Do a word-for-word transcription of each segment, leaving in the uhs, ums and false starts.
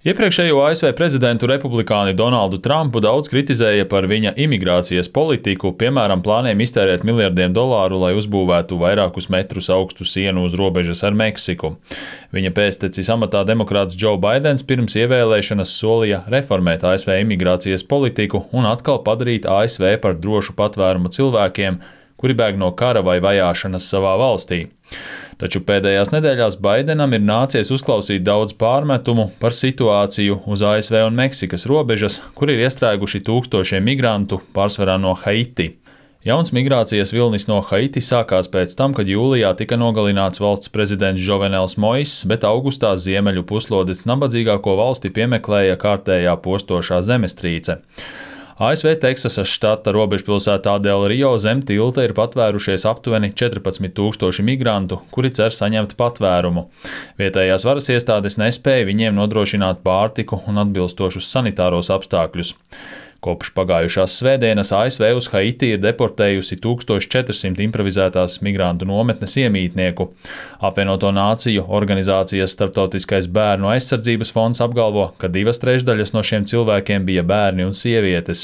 Iepriekšējo A S V prezidentu republikāni Donaldu Trumpu daudz kritizēja par viņa imigrācijas politiku, piemēram, plāniem iztērēt miljardiem dolāru, lai uzbūvētu vairākus metrus augstu sienu uz robežas ar Meksiku. Viņa pēctecis amatā demokrāts Džo Baidens pirms ievēlēšanas solīja reformēt A S V imigrācijas politiku un atkal padarīt A S V par drošu patvērumu cilvēkiem, kuri bēg no kara vai vajāšanas savā valstī. Taču pēdējās nedēļās Baidenam ir nācies uzklausīt daudz pārmetumu par situāciju uz A S V un Meksikas robežas, kur ir iestrēguši tūkstošiem migrantu, pārsvarā no Haiti. Jauns migrācijas vilnis no Haiti sākās pēc tam, kad jūlijā tika nogalināts valsts prezidents Jovenels Moiss, bet augustā ziemeļu puslodes nabadzīgāko valsti piemeklēja kārtējā postošā zemestrīce. A S V Teksasas štata robežpilsētā Del Rio zem tilta ir patvērušies aptuveni četrpadsmit tūkstoši migrantu, kuri cer saņemt patvērumu. Vietējās varas iestādes nespēja viņiem nodrošināt pārtiku un atbilstošus sanitāros apstākļus. Kopš pagājušās svētdienas A S V uz Haiti ir deportējusi tūkstoš četrsimt improvizētās migrantu nometnes iemītnieku. Apvienoto nāciju organizācijas Starptautiskais bērnu aizsardzības fonds apgalvo, ka divas trešdaļas no šiem cilvēkiem bija bērni un sievietes.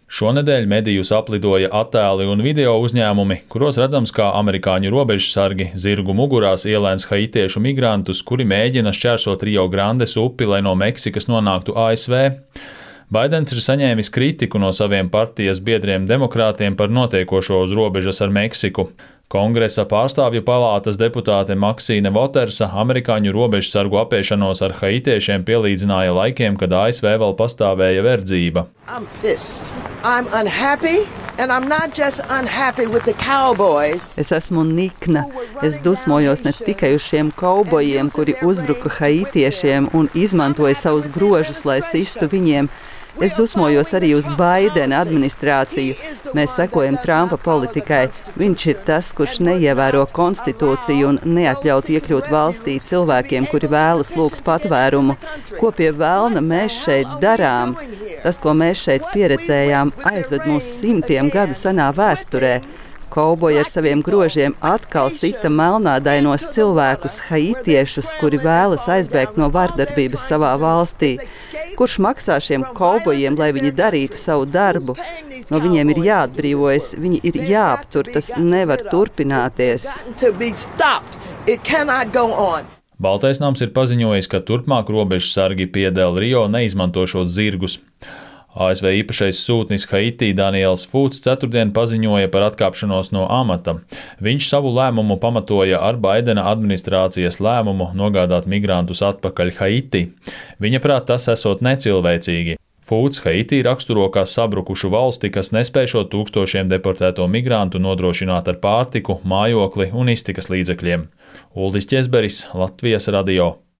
Šonedēļ medijus aplidoja attēli un video uzņēmumi, kuros redzams, kā amerikāņu robežsargi zirgu mugurās ielēns haitiešu migrantus, kuri mēģina šķērsot Rio Grandes upi, lai no Meksikas nonāktu A S V. Baidens ir saņēmis kritiku no saviem partijas biedriem demokrātiem par notiekošo uz robežas ar Meksiku. Kongresa pārstāvju palātas deputāte Maksīne Votersa amerikāņu robežsargu apiešanos ar haitiešiem pielīdzināja laikiem, kad A S V vēl pastāvēja verdzība. I'm pissed. I'm unhappy. And I'm not just unhappy with the cowboys. Es esmu nikna. Es dusmojos ne tikai uz šiem kaubojiem, kuri uzbruka haitiešiem un izmantoja savus grožus, lai sistu viņiem. Es dusmojos arī uz Baidena administrāciju. Mēs sekojam Trumpa politikai. Viņš ir tas, kurš neievēro konstitūciju un neatļaut iekļūt valstī cilvēkiem, kuri vēlas lūgt patvērumu. Ko pie velna mēs šeit darām? Tas, ko mēs šeit pieredzējām, aizved mūs simtiem gadu senā vēsturē. Kauboji ar saviem grožiem atkal sita melnādainos cilvēkus, haitiešus, kuri vēlas aizbēgt no vardarbības savā valstī. Kurš maksā šiem kaubojiem, lai viņi darītu savu darbu? No viņiem ir jāatbrīvojas, viņi ir jāaptur, tas nevar turpināties. Baltais nams ir paziņojis, ka turpmāk robežsargi pie Del Rio neizmantošot zirgus. A S V īpašais sūtnis Haitī Daniels Fūts ceturtdien paziņoja par atkāpšanos no amata. Viņš savu lēmumu pamatoja ar Baidena administrācijas lēmumu nogādāt migrantus atpakaļ Haiti. Viņa prāt tas esot necilvēcīgi. Fūts Haitī raksturo kā sabrukušu valsti, kas nespēj tūkstošiem deportēto migrantu nodrošināt ar pārtiku, mājokli un iztikas līdzekļiem. Uldis Ķezberis, Latvijas radio.